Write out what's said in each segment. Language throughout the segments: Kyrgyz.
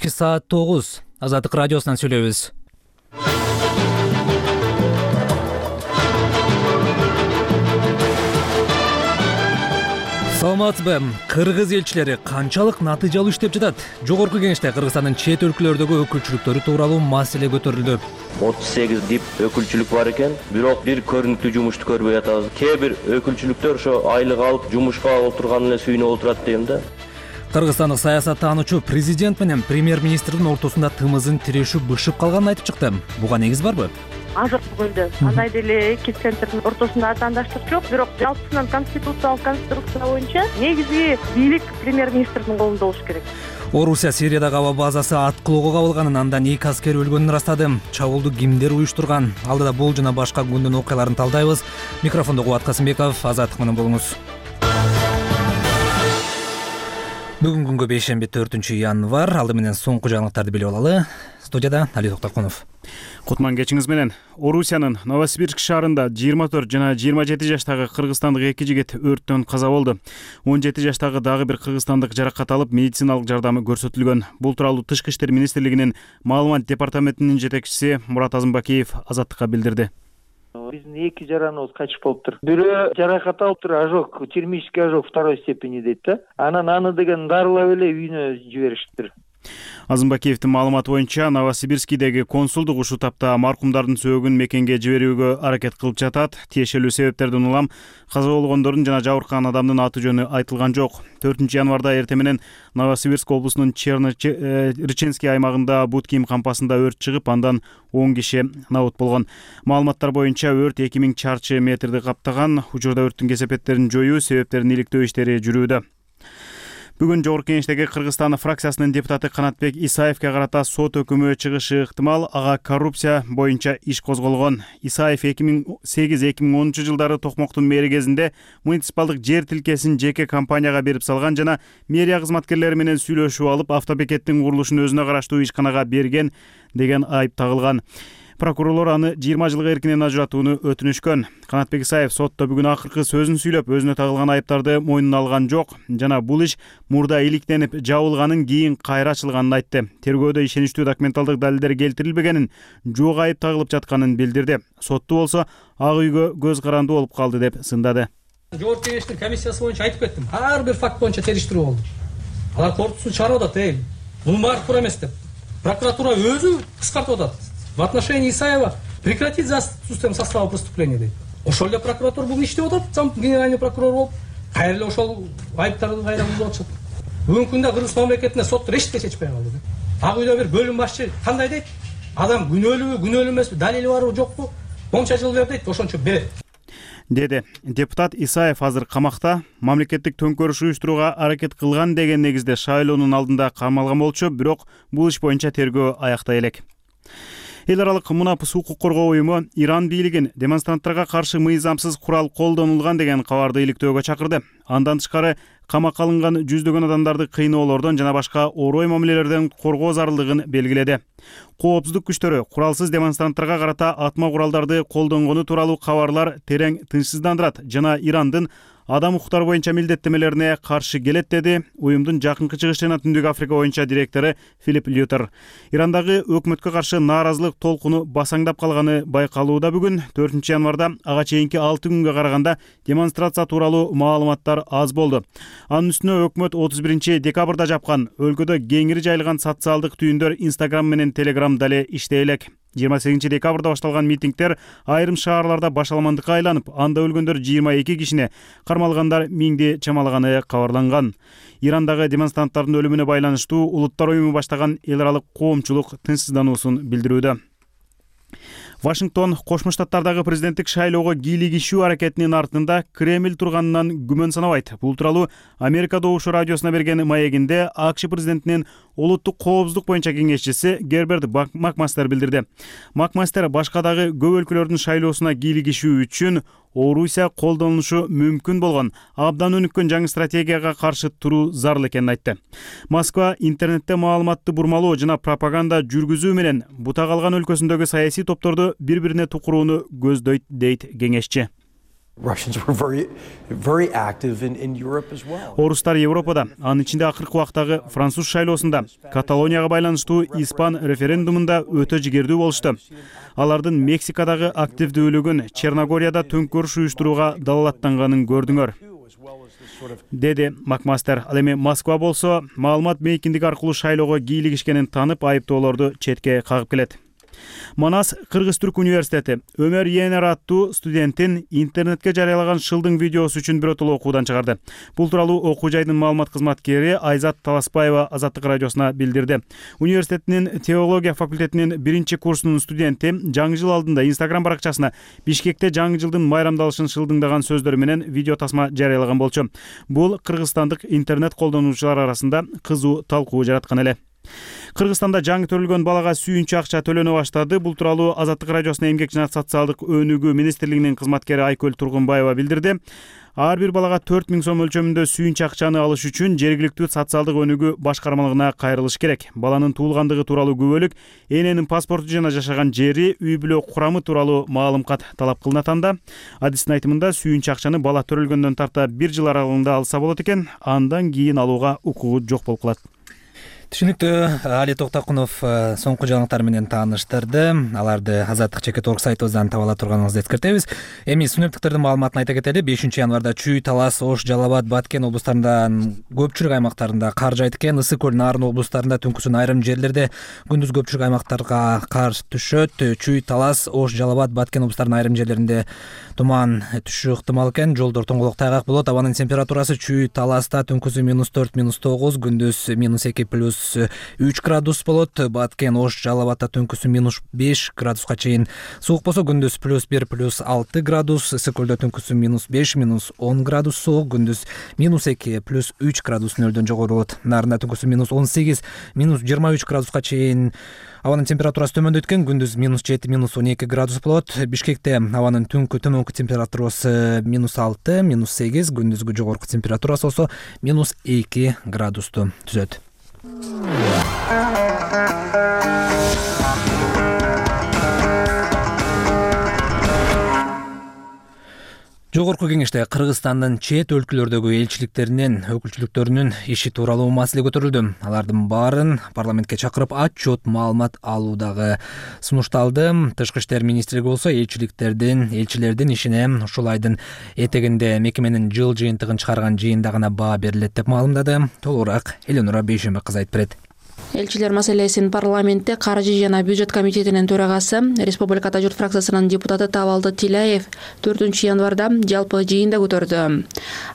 Кечки саат 9. Азаттык радиосунан сүйлөйбүз. Саламатсызбы? Кыргыз элчилери канчалык натыйжалуу иштеп жатат? Жогорку кеңеште Кыргызстандын чет өлкөлөрдөгү өкүлчүлүктөрү тууралуу маселе көтөрүлдү. 38 дип өкүлчүлүк бар экен, бирок бир көрүнүктүү жумушту көрбөй атабыз. Кээ бир өкүлчүлүктөр ошо айлык алып жумушка отурган эле сүйүнүп отурат дейм да. Кыргызстандык саясаттануучу президент менен премьер-министрдин ортосунда тымызын тирешүү бышып калганын айтып чыкты. Буга негиз барбы? Азыр бүгүндө андай деле эки центрдин ортосунда атаандаштык жок, бирок жалпысынан конституциялык конструкция боюнча негизги бийлик премьер-министрдин колунда болуш керек. Орусия Сириядагы аба базасы аткылоого кабылганын, андан 2 аскер өлгөнүн ырастады. Чабуулду кимдер уюштурган? Алдыда бул жана башка күндүн окуяларын талдайбыз. Микрофондо Кубат Касымбеков, Азаттык менен болуңуз. Бүгүн күнгө бейшемби 4-январь. Алды менен соңку жаңылыктарды билип алалы. Студияда Али Токтокунов. Кутман кечиңиз менен. Орусиянын Новосибирск шаарында 24 жана 27 жаштагы кыргызстандык эки жигит өрттөн каза болду. 17 жаштагы дагы бир кыргызстандык жаракат алып, медициналык жардамы көрсөтүлгөн. Бул тууралуу Тышкы иштер министрлигинин маалымат департаментинин жетекчиси Мурат Азымбакиев Азаттыкка билдирди. Биздин эки жараныбыз качып болуптур. Бирөө жаракат алыптыр, ожог, термический ожог второй степени дейт да. Анан аны деген дарылап эле үйүнө жибериштир. Азымбакиевдин маалыматы боюнча Новосибирскидеги консулдук ушул тапта маркумдардын сөөгүн мекенге жиберүүгө аракет кылып жатат. Тиешелүү себептерден улам каза болгондордун жана жабыркаган адамдын аты жөнү айтылган жок. 4-январда эртең менен Новосибирск облусунун Рычинский аймагында бут кийим кампасында өрт чыгып, андан 10 киши набыт болгон. Маалыматтар боюнча өрт 2000 чарчы метрди каптаган. Учурда өрттүн кесепеттерин жоюу, себептерин иликтөө иштери жүрүүдө. Бүгүн Жогорку кеңештеги Кыргызстан фракциясынын депутаты Канатбек Исаевке карата сот өкүмү чыгышы ыктымал. Ага коррупция боюнча иш козголгон. Исаев 2008-2010 жылдары Токмоктун мэри кезинде муниципалдык жер тилкесин жеке компанияга берип салган жана мэрия кызматкерлери менен сүйлөшүп алып, автобекеттин курулушун өзүнө караштуу ишканага берген деген айып тагылган. Прокурорлор аны 20 жылга эркинен ажыратууну өтүнүшкөн. Канатбек Исаев сотто бүгүн акыркы сөзүн сүйлөп, өзүнө тагылган айыптарды мойнуна алган жок жана бул иш мурда иликтенип жабылганын, кийин кайра ачылганын айтты. Тергөөдө ишеничтүү документалдык далилдер келтирилбегенин, жок айып тагылып жатканын билдирди. Сотту болсо ак үйгө көз каранды болуп калды деп сындады. Жогорку кеңештин комиссиясы боюнча айтып кеттим. Ар бир факт боюнча териштирүү болду. Алар кортусун чыгарып атат, бунун баары туура эмес деп. Прокуратура өзү кыскартып атат. В отношении Исаева прекратить за отсутствием состава преступления дейт. Ошол эле прокуратура бүгүн иштеп атат, зам генеральный прокурор болуп, кайра эле ошол айыптарды кайра бузуп атышат. Бүгүнкү күндө Кыргыз мамлекетинде сот решетке чечпей калды. Ак үйдө бир бөлүм башчы кандай дейт? Адам күнөөлүүбү, күнөөлүү эмеспи, далили барбы, жокпу? Монча жыл бер дейт, ошончо берет. Деди. Депутат Исаев азыр камакта. Мамлекеттик төңкөрүш уюштурууга аракет кылган деген негизде шайлоонун алдында камалган болчу, бирок бул иш боюнча тергөө аяктай элек. Эл аралык мунапыс укук коргоо уюму Иран бийлигин демонстранттарга каршы мыйзамсыз курал колдонулган деген кабарды иликтөөгө чакырды. Андан тышкары камакка алынган жүздөгөн адамдарды кыйноолордон жана башка орой мамилелерден коргоо зарылдыгын белгиледи. Коопсуздук күчтөрү куралсыз демонстранттарга карата атма куралдарды колдонгону тууралуу кабарлар терең тынчсыздандырат жана Ирандын адам укуктары боюнча милдеттемелерине каршы келет, деди уюмдун жакынкы чыгыш жана Түндүк Африка боюнча директору Филипп Лютер. Ирандагы өкмөткө каршы нааразылык толкуну басаңдап калганы байкалууда. Бүгүн 4-январда ага чейинки 6 күнгө караганда демонстрация тууралуу маалыматтар аз болду. Анын үстүнө өкмөт 31-декабрда жапкан өлкөдө кеңири жайылган социалдык түйүндөр Instagram менен Telegram дале иштей элек. 28-декабрда башталган митингдер айрым шаарларда башаламандыкка айланып, анда өлгөндөр 22 кишине, кармалгандар 1000ди чамалаганы кабарланган. Ирандагы демонстранттардын өлүмүнө байланыштуу Улуттар уюму баштаган эл аралык коомчулук тынчсыздануусун билдирүүдө. Вашингтон Кошмо Штаттардагы президенттик шайлоого кийлигишүү аракетинин артында Кремль турганынан күмөн санабайт. Бул тууралуу Америка Добушу радиосуна берген маегинде АКШ президентинин улуттук коопсуздук боюнча кеңешчиси Герберт Макмастер билдирди. Макмастер башка дагы көп өлкөлөрдүн шайлоосуна кийлигишүү үчүн Орусия колдонулушу мүмкүн болгон абдан өнүккөн жаңы стратегияга каршы туруу зарыл экенин айтты. Москва интернетте маалыматты бурмалоо жана пропаганда жүргүзүү менен бута калган өлкөсүндөгү саясий топторду бири-бирине тукурууну көздөйт, дейт кеңешчи. Russians were very active in Europe as well. Орустар Европада, анын ичинде акыркы убактагы француз шайлоосунда, Каталонияга байланыштуу испан референдумунда өтө жигердүү болушту. Алардын Мексикадагы активдүүлүгүн Черногорияда төңкөрүш уюштурууга далалаттанганын көрдүңөр, деди Макмастер. Ал эми Москва болсо, маалымат мейкиндиги аркылуу шайлоого кийлигишкенин танып, айыптоолорду четке кагып келет. Манас Кыргыз-Түрк университети Өмөр Енер аттуу студентин интернетке жарыялаган шылдың видеосу үчүн биротоло окуудан чыгарды. Бул тууралуу окуу жайдын маалымат кызматкери Айзат Таласпаева Азаттык радиосуна билдирди. Университеттин теология факультетинин 1-курсунун студенти жаңы жыл алдында Instagram баракчасына Бишкекте жаңы жылдын майрамдалышын шылдыңдаган сөздөр менен видео тасма жарыялаган болчу. Бул кыргызстандык интернет колдонуучулар арасында кызуу талкуу жараткан эле. Кыргызстанда жаңы төрөлгөн балага сүйүнчү акча төлөнө баштады. Бул тууралуу Азаттык радиосуна эмгек жана социалдык өнүгүү министрлигинин кызматкери Айкөл Тургунбаева билдирди. Ар бир балага 4000 сом өлчөмүндө сүйүнчү акчаны алыш үчүн жергиликтүү социалдык өнүгүү башкармалыгына кайрылыш керек. Баланын туулгандыгы тууралуу күбөлүк, эненин паспорту жана жашаган жери, үй бүлө курамы тууралуу маалымкат талап кылынат анда. Адистин айтымында сүйүнчү акчаны бала төрөлгөндөн тарта 1 жыл аралыгында алса болот экен, андан кийин алууга укугу жок болуп калат. Түшүнүктүү. Али Токтокунов соңку жаңылыктар менен тааныштырды. Аларды Азаттык чекит орг сайтыбыздан таба ала турганыңызды эскертебиз. Эми синоптиктердин маалыматын айта кетели. 5-январда Чүй, Талас, Ош, Жалал Абад, Баткен облустарында көпчүлүк аймактарында кар жайт экен. Ысык көл, Нарын облустарында түнкүсүн айрым жерлерде, күндүз көпчүлүк аймактарга кар түшөт. Чүй, Талас, Ош, Жалал Абад, Баткен облустарынын айрым жерлеринде туман түшүү ыктымал экен. Жолдор тоңголок тайгак болот. Абанын температурасы Чүй, Таласта түнкүсү -4, -9, күндүз -2 +3 градус болот. Баткен, Ош, Жалал Абадта түнкүсү -5 градуска чейин суук болсо, күндүз +1, +6 градус. Ысык көлдө түнкүсү -5, -10 градус суук, күндүз -2, +3 градус нөлдөн жогору болот. Нарында түнкүсү -18, -23 градуска чейин абанын температурасы төмөндөйт экен. Күндүз -7, -12 градус болот. Бишкекте абанын төмөнкү температурасы -6, -8, күндүзгү жогорку температурасы болсо -2 градусту түзөт. Жогорку кеңеште Кыргызстандын чет өлкөлөрдөгү элчиликтеринин өкүлчүлүктөрүнүн иши тууралуу маселе көтөрүлдү. Алардын баарын парламентке чакырып отчет маалымат алуудагы сунушталды. Тышкы иштер министрлиги болсо элчилердин ишине ушул айдын этегинде мекеменин жыл жыйынтыгын чыгарган жыйында гана баа берилет деп маалымдады. Толугураак Эленора Бейшембек кызы айтып берет. Элчилер маселесин парламентте каржы жана бюджет комитетинин төрагасы, Республикада журт фракциясынын депутаты Табалды Тилаев 4-январда жалпы жыйында көтөрдү.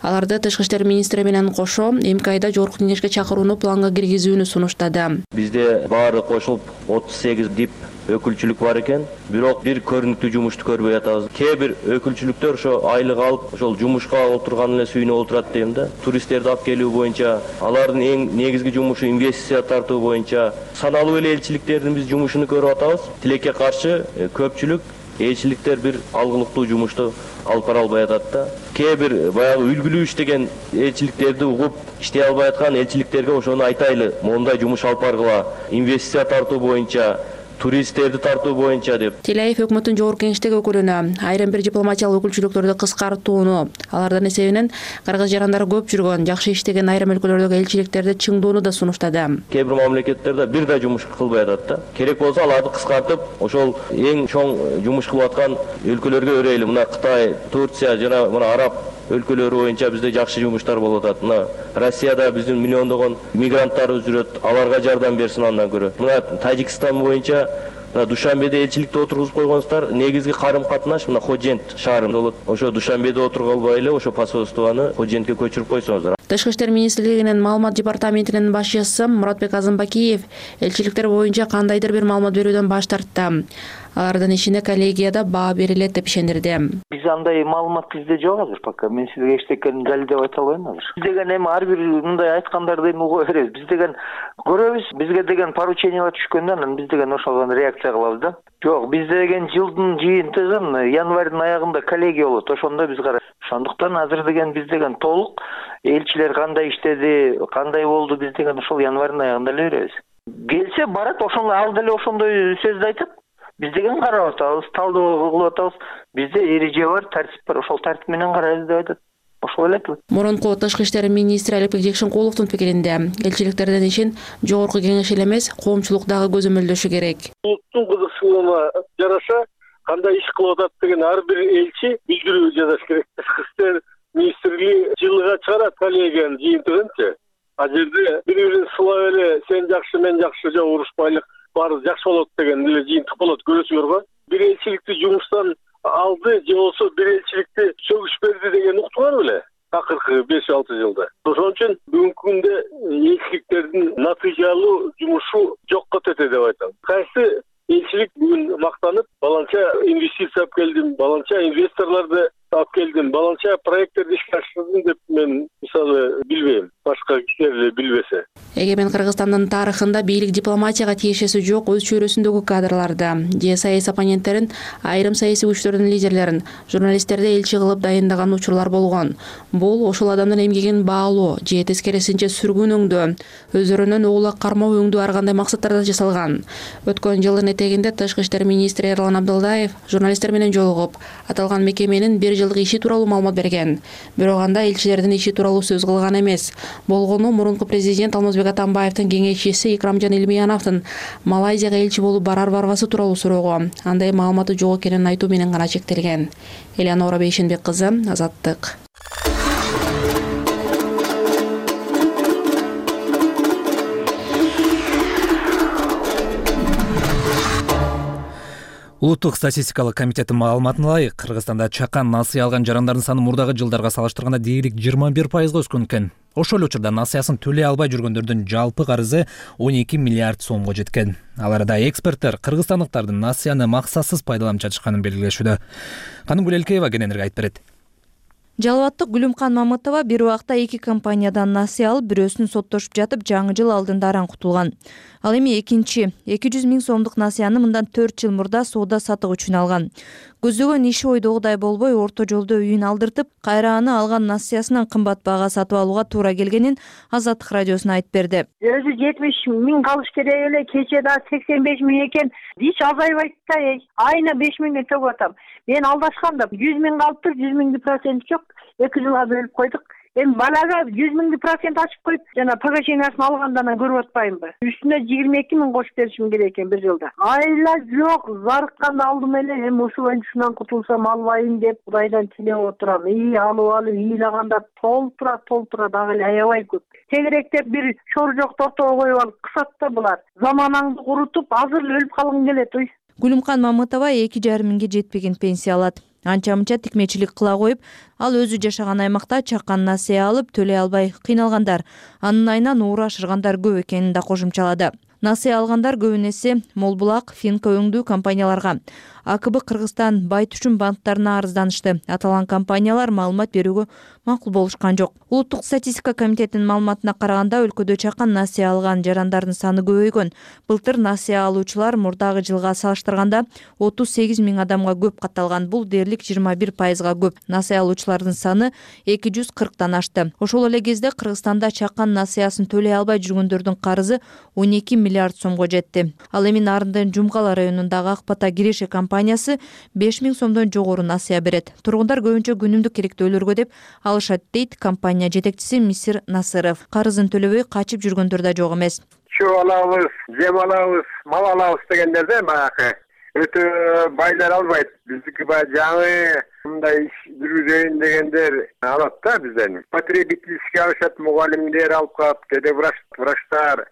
Аларды тышкы иштер министри менен кошо МКда жогорку кеңешке чакырууну планга киргизүүнү сунуштады. Бизде баары кошулуп 38 дип өкүлчүлүк бар экен, бирок бир көрүнүктүү жумушту көрбөй атабыз. Кээ бир өкүлчүлүктөр ошо айлык алып, ошол жумушка отурган эле сүйүнүп отурат дейм да. Туристтерди алып келүү боюнча, алардын эң негизги жумушу инвестиция тартуу боюнча саналуу эле элчиликтердин биз жумушуну көрүп атабыз. Тилекке каршы көпчүлүк элчиликтер бир алгылыктуу жумушту алып бара албай атат да. Кээ бир баягы үлгүлүү иштеген элчиликтерди угуп иштей албай аткан элчиликтерге ошону айтайлы, мондай жумуш алып баргыла, инвестиция тартуу боюнча, туристтерди тартуу боюнча деп. Тилаев өкмөттүн жогорку кеңештеги өкүлүнө айрым бир дипломатиялык өкүлчүлүктөрдү кыскартууну, алардын эсебинен кыргыз жарандары көп жүргөн, жакшы иштеген айрым өлкөлөрдөгү элчиликтерди чыңдоону да сунуштады. Кээ бир мамлекеттерде бир да жумуш кылбай атат да. Керек болсо аларды кыскартып, ошол эң чоң жумуш кылып аткан өлкөлөргө өрөйлү. Мына Кытай, Турция жана мына араб өлкөлөрү боюнча бизде жакшы жумуштар болуп атат. Мына Россияда биздин миллиондогон мигранттарыбыз жүрөт, аларга жардам берсин андан көрө. Мына Тажикстан боюнча Душанбеде элчиликте отургузуп койгонсуздар. Негизги карым катнаш мына Ходжент шаарында болот. Ошо Душанбеде отуруп албай эле ошо посольствону Ходжентке көчүрүп койсоңуздар. Тышкы иштер министрлигинин маалымат департаментинин башчысы Муратбек Азымбакиев элчиликтер боюнча кандайдыр бир маалымат берүүдөн баш тартты. Алардын ишине коллегияда баа берилет деп ишендирди. Биз андай маалымат бизде жок азыр пока. Мен сизге эчтекени далилдеп айта албайм азыр. Биз деген эми ар бир мындай айткандарды эми уга беребиз. Биз деген көрөбүз, бизге деген поручениялар түшкөндө анан биз деген ошого реакция кылабыз да. Жок, бизде деген жылдын жыйынтыгын январдын аягында коллегия болот. Ошондо биз карайбыз. Ошондуктан азыр деген биз деген толук элчилер кандай иштеди, кандай болду, биз деген ошол январдын аягында эле беребиз. Келсе барат, ошондой ал деле ошондой сөздү айтат. Биз деген карап атабыз, талдоо кылып атабыз. Бизде эреже бар, тартип бар. Ошол тартип менен карайбыз деп айтат. Ошол эле. Мурунку тышкы иштер министри Алипбек Жекшенкуловдун пикиринде, элчиликтерден ишин жогорку кеңеш эле эмес, коомчулук дагы көзөмөлдөшү керек. Улуттун кызыкчылыгына жараша кандай иш кылып атат деген ар бир элчи билдирүү жазыш керек. Тышкы иштер министрлиги жылга чыгарат коллегиянын жыйынтыгынчы. А жерде бири-бирин сылап эле сен жакшы, мен жакшы, жок урушпайлык, баары жакшы болот деген эле жыйынтык болот, көрөсүңөр го. Бир элчиликти жумуштан алды же болбосо бир элчиликти сөгүш берди деген уктуңар беле? Акыркы 5-6 жылда. Ошон үчүн бүгүнкү күндө элчиликтердин натыйжалуу жумушу жокко тете деп айтам. Кайсы элчилик бүгүн мактанып, баланча инвестиция алып келдим, баланча инвесторлорду алып келдим, баланча проекттерди ишке ашырдым деп мен мисалы билбейм. Башка кишилер эле билбесе. Эгемен Кыргызстандын тарыхында бийлик дипломатияга тиешеси жок өз чөйрөсүндөгү кадрларды, же саясий оппоненттерин, айрым саясий күчтөрдүн лидерлерин, журналисттерди элчи кылып дайындаган учурлар болгон. Бул ошол адамдын эмгегин баалоо же тескерисинче сүргүнөңдөө, өздөрүнөн оолак кармоо өңдүү ар кандай максаттарда жасалган. Өткөн жылдын этегинде Тышкы иштер министри Эрлан Абдылдаев журналисттер менен жолугуп, аталган мекеменин 1 жылдык иши тууралуу маалымат берген. Бирок анда элчилердин иши тууралуу сөз кылган эмес. Болгону мурунку президент Алмазбек Атамбаевдин кеңешчиси Икрамжан Илмияновдун Малайзияга элчи болуп барбасы тууралуу суроого андай маалыматы жок экенин айтуу менен гана чектелген. Элеонора Бейшенбек кызы, Азаттык. Улуттук статистикалык комитеттин маалыматына ылайык, Кыргызстанда чакан насыя алган жарандардын саны мурдагы жылдарга салыштырганда дээрлик 21%га өскөн экен. Ошол эле учурда насыясын төлөй албай жүргөндөрдүн жалпы карызы 12 миллиард сомго жеткен. Ал арада эксперттер кыргызстандыктардын насыяны максатсыз пайдаланып жатышканын белгилешүүдө. Канымгүл Элкеева кененирээк айтып берет. Жалбаттык Гүлүмкан Мамытова бир убакта 2 компаниядан насыя алып, бирөөсүн соттошуп жатып, жаңы жыл алдында аран кутулган. Ал эми экинчи 200 000 сомдук насыяны мындан 4 жыл мурда соода сатык үчүн алган. Көздөгөн иши ойдогудай болбой, орто жолдо үйүн алдыртып, кайра аны алган насыясынан кымбат баага сатып алууга туура келгенин Азаттык радиосуна айтып берди. Өзү 70 000 калыш керек эле, кече да 85 000 экен. Эч азайбайт да, айына 5 000 төгүп атам. Мен алдашканда 100 000 калыптыр, 100 000 процент жок. 2 жылга бөлүп койдук. Эми балага 100 000 процент ачып коюп, жана погашениясын алгандан көрүп атпаймынбы? Үстүнө 22 000 кошуп беришим керек экен бир жылда. Айла жок, зарыкканда алдым эле, эми ушул ушунан кутулсам албайм деп Кудайдан тилеп отурам. Алып ыйлаганда толтура дагы эле аябай көп. Тегеректеп бир шоржок тортого коюп алып кысат да булар. Заманаңды курутуп, азыр өлүп калгың келет ой. Гүлүмкан Мамытова 2,5 миңге жетпеген пенсия алат. Анча-мынча тикмечилик кыла коюп, ал өзү жашаган аймакта чакан насыя алып, төлөй албай кыйналгандар, анын айынан уура ашыргандар көп экенин да кошумчалады. Насыя алгандар көбүнесе Молбулак, Финка өңдүү компанияларга, АКБ Кыргызстан Байт үчүн банктарына арызданышты. Аталган компаниялар маалымат берүүгө макул болушкан жок. Улуттук статистика комитетинин маалыматына караганда, өлкөдө чакан насыя алган жарандардын саны көбөйгөн. Былтыр насыя алуучулар мурдагы жылга салыштырганда 38 000 адамга көп катталган. Бул дээрлик 21%га көп. Насыя алуучулардын саны 240тан ашты. Ошол эле кезде Кыргызстанда чакан насыясын төлөй албай жүргөндөрдүн карызы 12 миллиард сомго жетти. Ал эми Нарындын Жумгала районундагы Акбата Киреше компаниясы 5 000 сомдон жогору насыя берет. Тургундар көбүнчө күнүмдүк керектөөлөргө деп алышат, дейт компания жетекчиси Мисир Насыров. Карызын төлөбөй качып жүргөндөр да жок эмес. Чөө алабыз, жем алабыз, мал алабыз дегендерде баягы өтө байлар албайт. Биздики баягы жаңы мындай иш жүргүзөйүн дегендер алат да бизден. Потребительский алышат, мугалимдер алып калып, деде врачтар,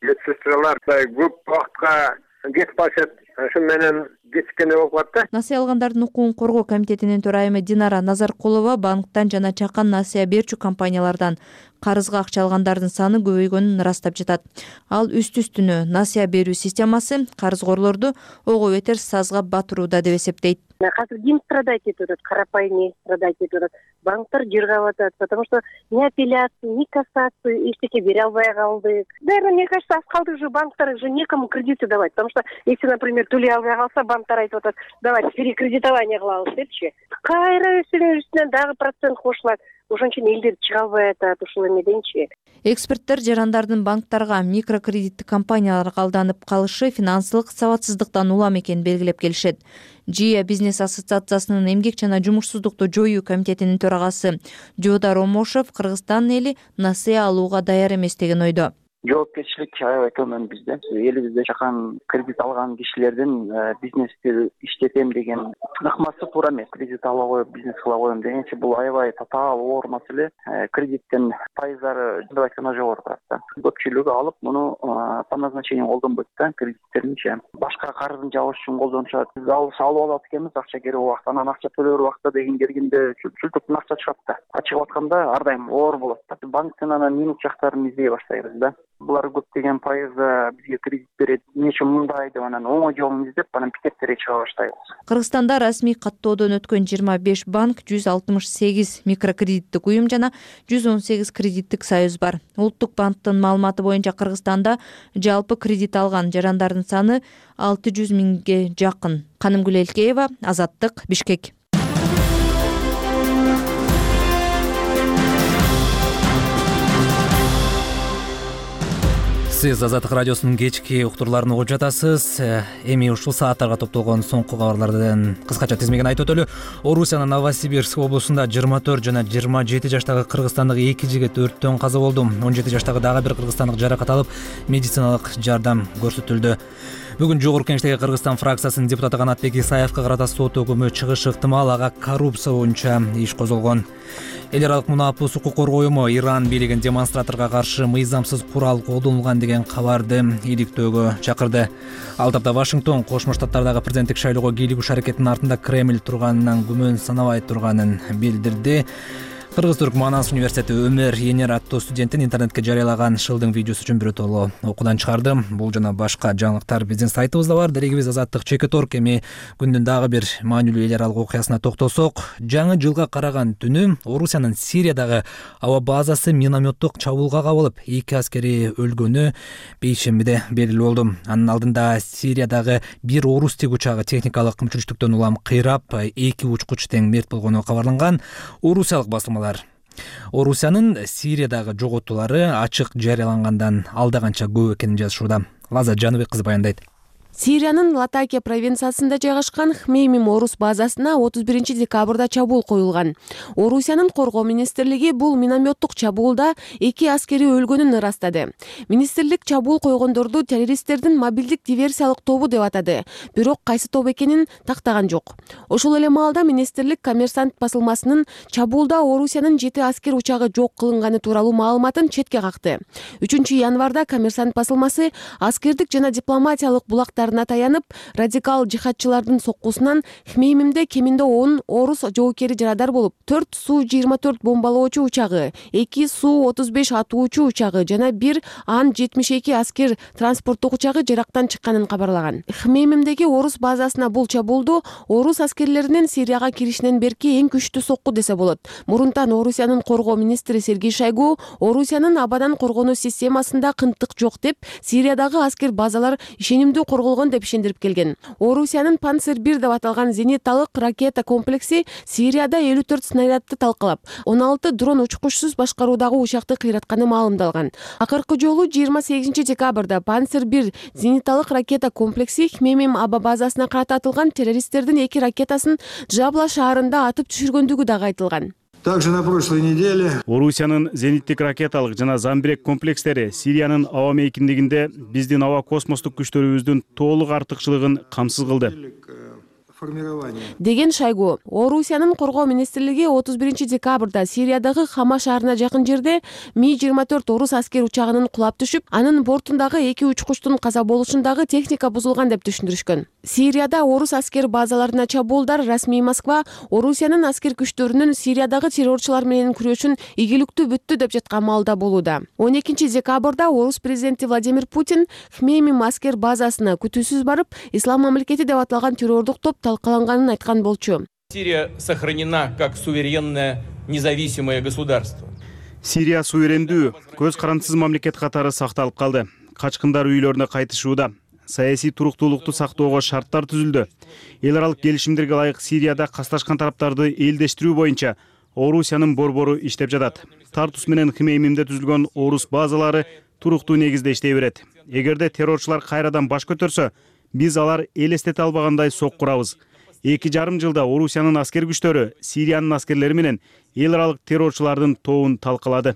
медсестралар көп убакытка кетип калышат. Ошон менен кечиккенде болуп калат да. Насыя алгандардын укугун коргоо комитетинин төрайымы Динара Назаркулова банктан жана чакан насыя берчү компаниялардан карызга акча алгандардын саны көбөйгөнүн ырастап жатат. Ал үстү-үстүнө насыя берүү системасы карызгорлорду ого бетер сазга батырууда деп эсептейт. Азыр ким страдать этип атат, карапайым страдать этип атат. Банктар жыргап атат, потому что ни апелляцию, ни кассацию эчтеке бере албай калдык. Наверное, мне кажется, аз калдык же банктар же некому кредиты давать, потому что если, например, төлөй албай калса, банктар айтып атат, давайте перекредитование кылабыз депчи. Кайра үстүнөн дагы процент кошулат. ошон үчүн элдер чыга албай атат ушул эмеденчи. Эксперттер жарандардын банктарга, микрокредиттик компанияларга алданып калышы финансылык сабатсыздыктан улам экенин белгилеп келишет. ЖИА бизнес ассоциациясынын эмгек жана жумушсуздукту жоюу комитетинин төрагасы Жоодар Омошов Кыргызстан эли насыя алууга даяр эмес деген ойдо. Жоопкерчилик аябай төмөн бизде. Элибизде жакан кредит алган кишилердин бизнести иштетем деген ыкмасы туура эмес. Кредит ала коюп бизнес кыла коем дегенчи бул аябай татаал оор маселе. Кредиттин пайыздары деп айтканда жогору турат да. Көпчүлүгү алып муну по назначению колдонбойт да, кредиттеринчи. Башка карызын жабыш үчүн колдонушат. Биз алып алат экенбиз, акча керек убакта, анан акча төлөөр убакта деген келгенде чүлтүктөн акча чыгат да. Чыгып атканда ар дайым оор болот да. Банктын анан минус жактарын издей баштайбыз да. Булар көптөгөн пайызда бизге кредит берет, нече мындай деп анан оңой жолун издеп, анан пикеттерге чыга баштайбыз. Кыргызстанда расмий каттоодон өткөн 25 банк, 168 микрокредиттик уюм жана 118 кредиттик союз бар. Улуттук банктын маалыматы боюнча Кыргызстанда жалпы кредит алган жарандардын саны 600 миңге жакын. Канымгүл Элкеева, Азаттык, Бишкек. Сиз Азаттык радиосунун кечки уктурларын угуп жатасыз. Эми ушул сааттарга топтолгон соңку кабарлардын кыскача тизмегин айтып өтөлү. Орусиянын Новосибирск облусунда 24 жана 27 жаштагы кыргызстандык 2 жигит өрттөн каза болду. 17 жаштагы дагы бир кыргызстандык жаракат алып, медициналык жардам көрсөтүлдү. Бүгүн Жогорку Кеңештеги Кыргызстан фракциясынын депутаты Канатбек Исаевка карата сот өкүмү чыгышы ыктымал, ага коррупция боюнча иш козголгон. Эл аралык мунапус укук коргоо уюму Иран бийлигин демонстраторго каршы мыйзамсыз курал колдонулган деген кабарды иликтөөгө чакырды. Ал тапта Вашингтон Кошмо Штаттардагы президенттик шайлоого кийлигиш аракетинин артында Кремль турганынан күмөн санабай турганын билдирди. Кыргыз-Түрк Манас университети Өмөр Енер аттуу студенттин интернетке жарыялаган шылдың видеосу үчүн биротоло окуудан чыгарды. Бул жана башка жаңылыктар биздин сайтыбызда бар. Дерегибиз Азаттык /Org. Эми күндүн дагы бир маанилүү эл аралык окуясына токтолсок, жаңы жылга караган түнү Орусиянын Сириядагы аба базасы минометтук чабуулга кабылып, 2 аскери өлгөнү бейшембиде белгилүү болду. Анын алдында Сириядагы бир орус тик учагы техникалык кымчылыктан улам кыйрап, 2 учкуч тең мерт болгону кабарланган. Орусиялык басылмалар Орусиянын Сириядагы жоготуулары ачык жарыялангандан алда канча көп экенин жазышууда. Лаза Жаныбек кызы баяндайт. Сириянын Латакия провинциясында жайгашкан Хмеймим орус базасына 31 декабрда чабуул коюлган. Орусиянын коргоо министрлиги бул минометтук чабуулда 2 аскери өлгөнүн ырастады. Министрлик чабуул койгондорду террористтердин мобилдик диверсиялык тобу деп атады, бирок кайсы топ экенин тактаган жок. Ошол эле маалда министрлик Коммерсант басылмасынын чабуулда Орусиянын 7 аскер учагы жок кылынганы тууралуу маалыматын четке какты. 3 январда Коммерсант басылмасы аскердик жана дипломатиялык булактарына таянып, радикал жихадчылардын соккусунан Хмеймимде кеминде 10 орус жоокери жарадар болуп, 4 Су-24 бомбалоочу учагы, 2 Су-35 атуучу учагы жана 1 Ан-72 аскер транспорттук учагы жарактан чыкканын кабарлаган. Хмеймимдеги орус базасына бул чабуулду орус аскерлеринин Сирияга киришинен берки эң күчтүү сокку десе болот. Мурунтан Орусиянын коргоо министри Сергей Шойгу Орусиянын абадан коргонуу системасында кынтык жок деп, Сириядагы аскер базалар ишенимдүү корголгон деп ишендирип келген. Орусиянын Панцер-1 деп аталган зениталык ракета комплекси Сирияда 54 снарядты талкалап, 16 дрон учкучсуз башкаруудагы учакты кыйратканы маалымдалган. Акыркы жолу 28 декабрда Панцер-1 зениталык ракета комплекси Хмеймим аба базасына карата атылган террористтердин 2 ракетасын Джабла шаарында атып түшүргөндүгү дагы айтылган. Также на прошлой неделе Орусиянын зениттик ракеталык жана замбирек комплекстери Сириянын аба мейкиндигинде биздин аба космостук күчтөрүбүздүн толук артыкчылыгын камсыз кылды деген Шойгу. Орусиянын коргоо министрлиги 31 декабрда Сириядагы Хама шаарына жакын жерде Ми-24 орус аскер учагынын кулап түшүп, анын бортундагы 2 учкучтун каза болушундагы техника бузулган деп түшүндүрүшкөн. Сирияда орус аскер базаларына чабуулдар расмий Москва Орусиянын аскер күчтөрүнүн Сириядагы террорчулар менен күрөшүн ийгиликтүү бүттү деп жаткан маалда болууда. 12 декабрда орус президенти Владимир Путин Хмеймим аскер базасына күтүүсүз барып, Ислам мамлекети деп аталган террордук топ талкаланганын айткан болчу. Сирия сохранена как суверенное независимое государство. Сирия суверендүү, көз карандысыз мамлекет катары сакталып калды. Качкындар үйлөрүнө кайтышууда. Саясий туруктуулукту сактоого шарттар түзүлдү. Эл аралык келишимдерге ылайык Сирияда касташкан тараптарды элдештирүү боюнча Орусиянын борбору иштеп жатат. Тартус менен Хмеймимде түзүлгөн орус базалары туруктуу негизде иштей берет. Эгерде террорчулар кайрадан баш көтөрсө, биз алар элестете албагандай соккурабыз. 2,5 жылда Орусиянын аскер күчтөрү Сириянын аскерлери менен эл аралык террорчулардын тобун талкалады.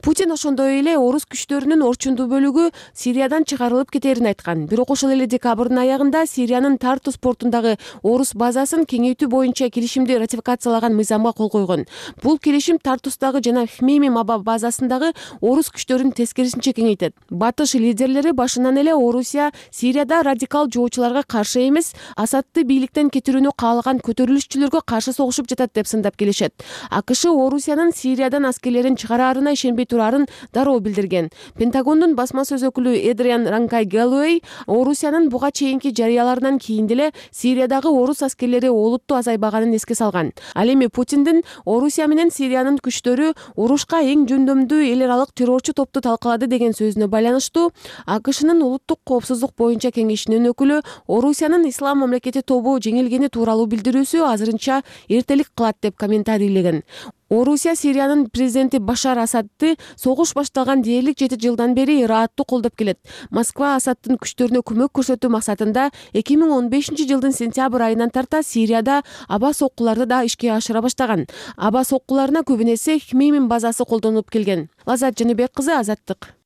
Путин ошондой эле орус күчтөрүнүн орчундуу бөлүгү Сириядан чыгарылып кетерин айткан. Бирок ошол эле декабрдын аягында Сириянын Тартус портундагы орус базасын кеңейтүү боюнча келишимди ратификациялаган мыйзамга кол койгон. Бул келишим Тартустагы жана Хмеймим аба базасындагы орус күчтөрүн тескерисинче кеңейтет. Батыш лидерлери башынан эле Орусия Сирияда радикал жоочуларга каршы эмес, Асадты бийликтен кетирүүнү каалаган көтөрүлүшчүлөргө каршы согушуп жатат деп сындап келишет. АКШ Орусиянын Сириядан аскерлерин чыгараарына ишенбей турарын дароо билдирген. Пентагондун басма сөз өкүлү Эдриан Ранкай Галлоуэй Орусиянын буга чейинки жарыяларынан кийин деле Сириядагы орус аскерлери олуттуу азайбаганын эске салган. Ал эми Путиндин Орусия менен Сириянын күчтөрү урушка эң жөндөмдүү эл аралык террорчу топту талкалады деген сөзүнө байланыштуу АКШнын улуттук коопсуздук боюнча кеңешинин өкүлү Орусиянын ислам мамлекети тобу жеңилгени тууралуу билдирүүсү азырынча эртелик кылат деп комментарийлеген. Орусия Сириянын президенти Башар Асадты согуш башталган дээрлик 7 жылдан бери ырааттуу колдоп келет. Москва Асадтын күчтөрүнө көмөк көрсөтүү максатында 2015 жылдын сентябрь айынан тарта Сирияда аба соккуларды да ишке ашыра баштаган. Аба соккуларына көбүн эсе Хмеймим базасы колдонулуп келген. Лазат Жаныбек кызы, Азаттык.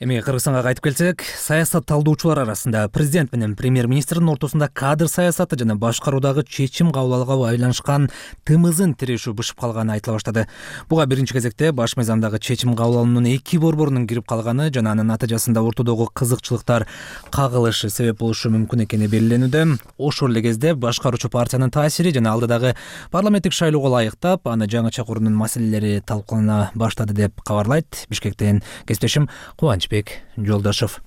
Эми Кыргызстанга кайтып келсек, саясат талдоочулар арасында президент менен премьер-министрдин ортосунда кадр саясаты жана башкаруудагы чечим кабыл алууга байланышкан тымызын тирешүү бышып калганы айтыла баштады. Буга биринчи кезекте баш мыйзамдагы чечим кабыл алуунун эки борборунун кирип калганы жана анын натыйжасында ортодогу кызыкчылыктар кагылышы себеп болушу мүмкүн экени белгиленүүдө. Ошол эле кезде башкаруучу партиянын таасири жана алдыдагы парламенттик шайлоого ылайыктап аны жаңыча куруунун маселелери талкуулана баштады деп кабарлайт Бишкектен кесиптешим Кубанычбек Жолдошов.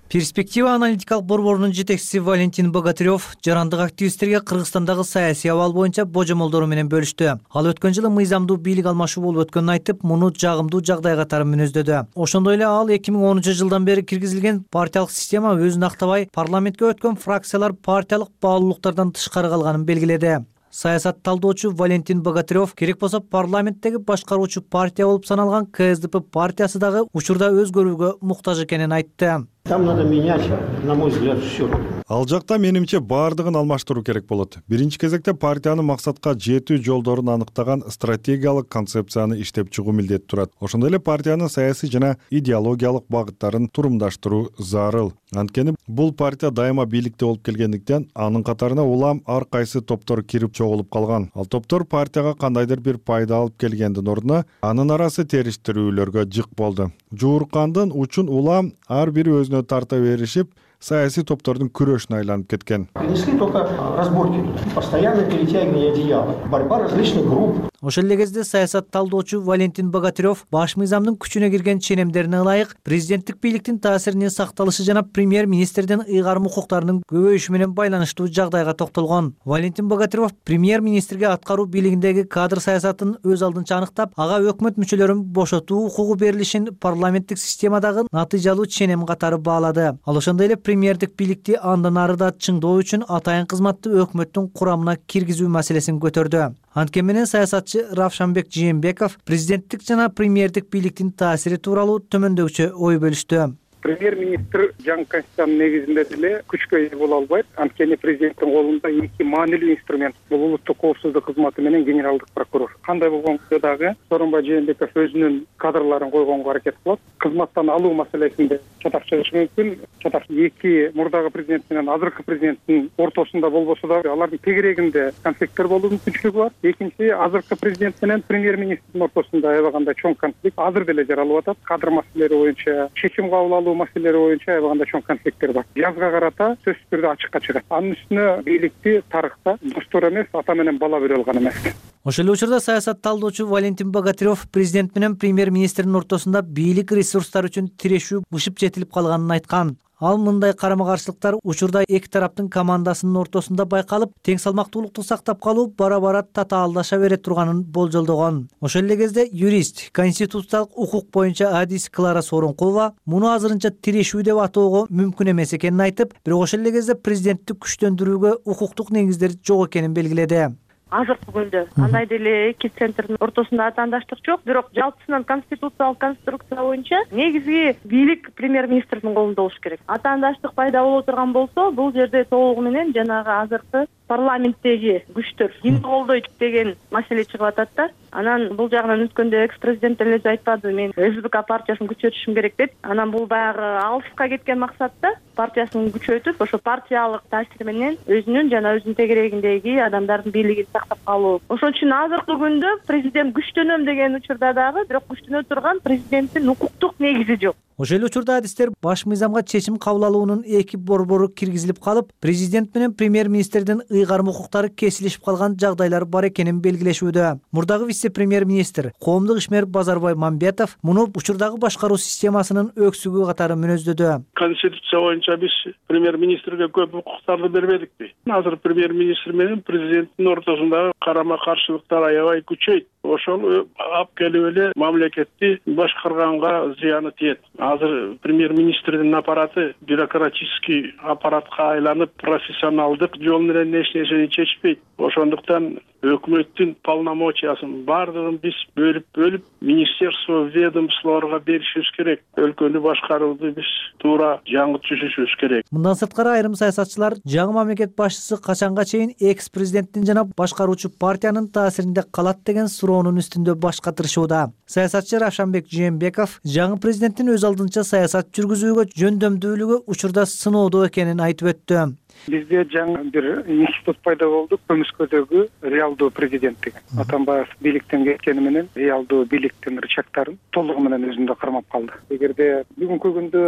Перспектива аналитикалык борборунун жетекчиси Валентин Богатырев жарандык активисттерге Кыргызстандагы саясий абал боюнча божомолдору менен бөлүштү. Ал өткөн жылы мыйзамдуу бийлик алмашуу болуп өткөнүн айтып, муну жагымдуу жагдай катары мүнөздөдү. Ошондой эле ал 2010 жылдан бери киргизилген партиялык система өзүн актабай, парламентке өткөн фракциялар партиялык баалуулуктардан тышкары калганын белгиледи. Саясат талдоочу Валентин Богатырев керек болсо парламенттеги башкаруучу партия болуп саналган КСДП партиясы дагы учурда өзгөрүүгө муктаж экенин айтты. Там надо менять, на мой взгляд, все. Ал жакта менимче баардыгын алмаштыруу керек болот. Биринчи кезекте партиянын максатка жетүү жолдорун аныктаган стратегиялык концепцияны иштеп чыгуу милдети турат. Ошондой эле партиянын саясий жана идеологиялык багыттарын турумдаштыруу зарыл. Анткени бул партия дайыма бийликте болуп келгендиктен анын катарына улам ар кайсы топтор кирип чогулуп калган. Ал топтор партияга кандайдыр бир пайда алып келгендин ордуна анын арасы териштирүүлөргө жык болду. Жууркандын учун улам ар бири өзүнө тарта беришип, саясий топтордун күрөшүнө айланып кеткен. Принесли только разборки, постоянное перетягивание одеяла, борьба различных групп. Ошол эле кезде саясат талдоочу Валентин Богатырев баш мыйзамдын күчүнө кирген ченемдерине ылайык президенттик бийликтин таасиринин сакталышы жана премьер-министрдин ыйгарым укуктарынын көбөйүшү менен байланыштуу жагдайга токтолгон. Валентин Богатырев премьер-министрге аткаруу бийлигиндеги кадр саясатын өз алдынча аныктап, ага өкмөт мүчөлөрүн бошотуу укугу берилишин парламенттик системадагы натыйжалуу ченем катары баалады. Ал ошондой эле премьердик бийликти андан ары да чыңдоо үчүн атайын кызматты өкмөттүн курамына киргизүү маселесин көтөрдү. Анткени менен саясатчы Равшанбек Жээнбеков президенттик жана премьердик бийликтин таасири тууралуу төмөндөгүчө ой бөлүштү. Премьер-министр жаңы конституциянын негизинде деле күчкө ээ боло албайт. Анткени президенттин колунда эки маанилүү инструмент — бул улуттук коопсуздук кызматы менен генералдык прокурор. Кандай болгондо дагы Сооронбай Жээнбеков өзүнүн кадрларын койгонго аракет кылат. Кызматтан алуу маселесинде чатак чыгышы мүмкүн. Чатак эки мурдагы президент менен азыркы президенттин ортосунда болбосо дагы алардын тегерегинде конфликттер болуу мүмкүнчүлүгү бар. Экинчи, азыркы президент менен премьер-министрдин ортосунда аябаганда чоң конфликт азыр деле жаралып атат. Кадр маселелери боюнча, чечим кабыл алуу маселелери боюнча аябаганда чоң конфликттер бар. Жазга карата сөзсүз түрдө ачыкка чыгат. Анын үстүнө бийликти тарыхта достор эмес, ата менен бала бере алган эмес. Ошол эле учурда саясат талдоочу Валентин Богатырев президент менен премьер-министрдин ортосунда бийлик ресурстары үчүн тирешүү бышып жетилип калганын айткан. Ал мындай карама каршылыктар учурда эки тараптын командасынын ортосунда байкалып, тең салмактуулукту сактап калуу бара-бара татаалдаша бере турганын болжолдогон. Ошол эле кезде юрист, конституциялык укук боюнча адис Клара Сооронкулова муну азырынча тирешүү деп атоого мүмкүн эмес экенин айтып, бирок ошол эле кезде президенттик күчтөндүрүүгө укуктук негиздер жок экенин белгиледи. Азыркы күндө андай деле эки центрдин ортосунда атаандаштык жок, бирок жалпысынан конституциялык конструкция боюнча негизги бийлик премьер-министрдин колунда болуш керек. Атаандаштык пайда боло турган болсо, бул жерде толугу менен жанагы азыркы парламенттеги күчтөр кимди колдойт деген маселе чыгып атат да. Анан бул жагынан өткөндө экс-президент деле айтпады, мен СБК партиясын күчөтүшүм керек деп. Анан бул баягы алыска кеткен максатта партиясын күчөтүп, ошо партиялык таасир менен өзүнүн жана өзүнүн тегерегиндеги адамдардын бийлигин сактап калуу. Ошон үчүн азыркы күндө президент күчтөнөм деген учурда дагы, бирок күчтөнө турган президенттин укуктук негизи жок. Ошол эле учурда адистер баш мыйзамга чечим кабыл алуунун эки борбору киргизилип калып, президент менен премьер-министрдин ыйгарым укуктары кесилишип калган жагдайлар бар экенин белгилешүүдө. Мурдагы вице-премьер-министр коомдук ишмер Базарбай Мамбетов муну учурдагы башкаруу системасынын өксүгү катары мүнөздөдү. Конституция боюнча биз премьер-министрге көп укуктарды бербедикпи? Азыр премьер-министр менен президенттин ортосундагы карама каршылыктар аябай күчөйт. Ошол алып келип эле мамлекетти башкарганга зыяны тиет. Азыр премьер-министрдин аппараты бюрократический аппаратка айланып, профессионалдык жол менен эч нерсени чечпейт. Ошондуктан өкмөттүн полномочиясын бардыгын биз бөлүп министерство, ведомстволорго беришибиз керек. Өлкөнү башкарууду биз туура жаңы түзүшүбүз керек. Мындан сырткары айрым саясатчылар жаңы мамлекет башчысы качанга чейин экс-президенттин жана башкаруучу партиянын таасиринде калат деген суроонун үстүндө баш катырышууда. Саясатчы Равшанбек Жээнбеков жаңы президенттин өз алдынча саясат жүргүзүүгө жөндөмдүүлүгү учурда сыноодо экенин айтып өттү. Бизде жаңы бир институт пайда болду, көмүскөдөгү реалдуу президент деген. Атамбаев бийликтен кеткени менен реалдуу бийликтин рычагдарын толугу менен өзүндө кармап калды. Эгерде бүгүнкү күндө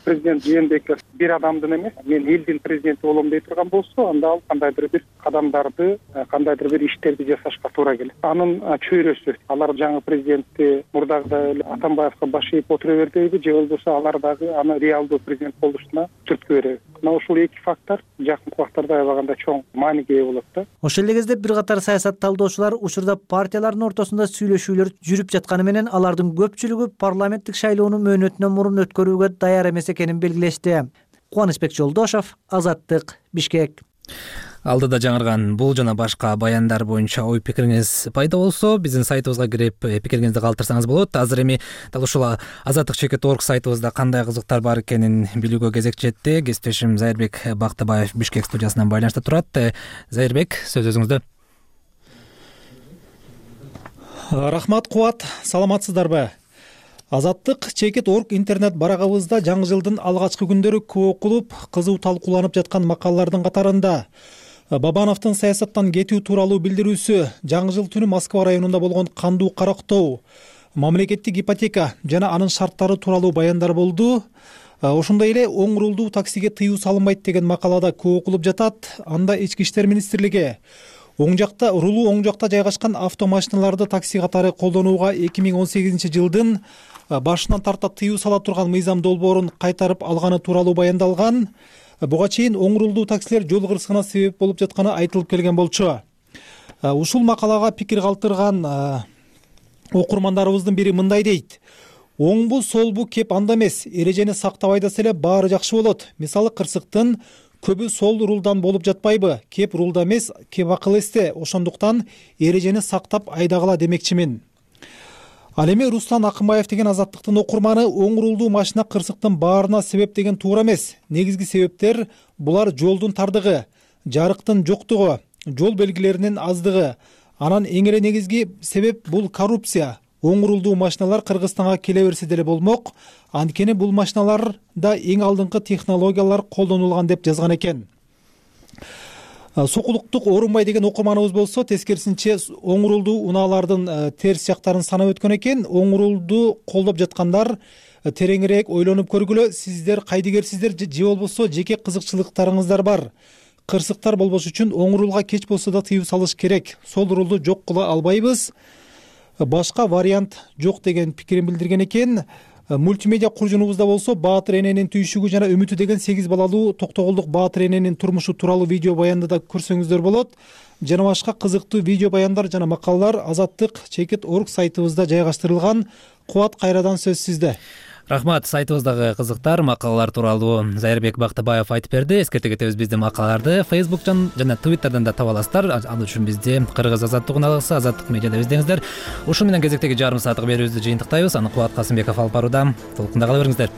президент Жээнбеков бир адамдын эмес, мен элдин президенти болом дей турган болсо, анда ал кандайдыр бир кадамдарды, кандайдыр бир иштерди жасашка туура келет. Анын чөйрөсү, алар жаңы президентти мурдагыдай эле Атамбаевка баш ийип отура бербейби, же болбосо алар дагы аны реалдуу президент болушуна түрткү береби. Мына ушул эки фактор жакынкы убактарда аябаганда чоң мааниге ээ болот да. Ошол эле кезде бир катар саясат талдоочулар учурда партиялардын ортосунда сүйлөшүүлөр жүрүп жатканы менен алардын көпчүлүгү парламенттик шайлоону мөөнөтүнөн мурун өткөрүүгө даяр эмес экенин белгилешти. Кубанычбек Жолдошов, Азаттык, Бишкек. Алдыда жаңырган бул жана башка баяндар боюнча ой пикириңиз пайда болсо, биздин сайтыбызга кирип пикириңизди калтырсаңыз болот. Азыр эми дал ушул azattik.org сайтыбызда кандай кызыктар бар экенин билүүгө кезек жетти. Кесиптешим Зайырбек Бактыбаев Бишкек студиясынан байланышта турат. Зайырбек, сөз өзүңүздө. Рахмат, Кубат, саламатсыздарбы? azattik.org интернет барагыбызда жаңы жылдын алгачкы күндөрү көп окулуп, кызуу талкууланып жаткан макалалардын катарында Бабановдун саясаттан кетүү тууралуу билдирүүсү, жаңы жыл түнү Москва районунда болгон кандуу карактоо, мамлекеттик ипотека жана анын шарттары тууралуу баяндар болду. Ошондой эле оң рулдуу таксиге тыюу салынбайт деген макалада көп окулуп жатат. Анда Ички иштер министрлиги рулуу оң жакта жайгашкан автомашиналарды такси катары колдонууга 2018 жылдын башынан тарта тыюу сала турган мыйзам долбоорун кайтарып алганы тууралуу баяндалган. Буга чейин оң рулдуу таксилер жол кырсыгына себеп болуп жатканы айтылып келген болчу. Ушул макалага пикир калтырган окурмандарыбыздын бири мындай дейт: оңбу солбу кеп анда эмес, эрежени сактап айдаса эле баары жакшы болот. Мисалы кырсыктын көбү сол рулдан болуп жатпайбы? Кеп рулда эмес, кеп акыл эсте. Ошондуктан эрежени сактап айдагыла демекчимин. Ал эми Руслан Акынбаев деген Азаттыктын окурманы оң рулдуу машина кырсыктын баарына себеп деген туура эмес. Негизги себептер булар жолдун тардыгы, жарыктын жоктугу, жол белгилеринин аздыгы. Анан эң эле негизги себеп бул коррупция. Оң рулдуу машиналар Кыргызстанга келе берсе деле болмок. Анткени бул машиналарда эң алдыңкы технологиялар колдонулган деп жазган экен. Сокулуктук Орунбай деген окурманыбыз болсо, тескерисинче оң рулдуу унаалардын терс жактарын санап өткөн экен. Оң рулду колдоп жаткандар тереңирээк ойлонуп көргүлө. Сиздер кайдыгерсиздер же болбосо жеке кызыкчылыктарыңыздар бар. Кырсыктар болбош үчүн оң рулга кеч болсо да тыюу салыш керек. Сол рулду жок кыла албайбыз. Башка вариант жок деген пикирин билдирген экен. Мультимедиа куржунубузда болсо Баатыр эненин түйшүгү жана үмүтү деген 8 балалуу токтогулдук Баатыр эненин турмушу тууралуу видео баянды да көрсөңүздөр болот. Жана башка кызыктуу видео баяндар жана макалалар Азаттык.org сайтыбызда жайгаштырылган. Кубат, кайрадан сөз сизде. Рахмат. Сайтыбыздагы кызыктар макалалар тууралуу Зайырбек Бактыбаев айтып берди. Эскерте кетебиз, биздин макалаларды Facebook'tan жана Twitter'дан да таба аласыздар. Ал үчүн бизди Кыргыз Азаттык унаалысы, Азаттык медиада издеңиздер. Ушун менен кезектеги жарым сааттык берүүбүздү жыйынтыктайбыз. Аны Кубат Касымбеков алып барууда. Толкунда кала бериңиздер.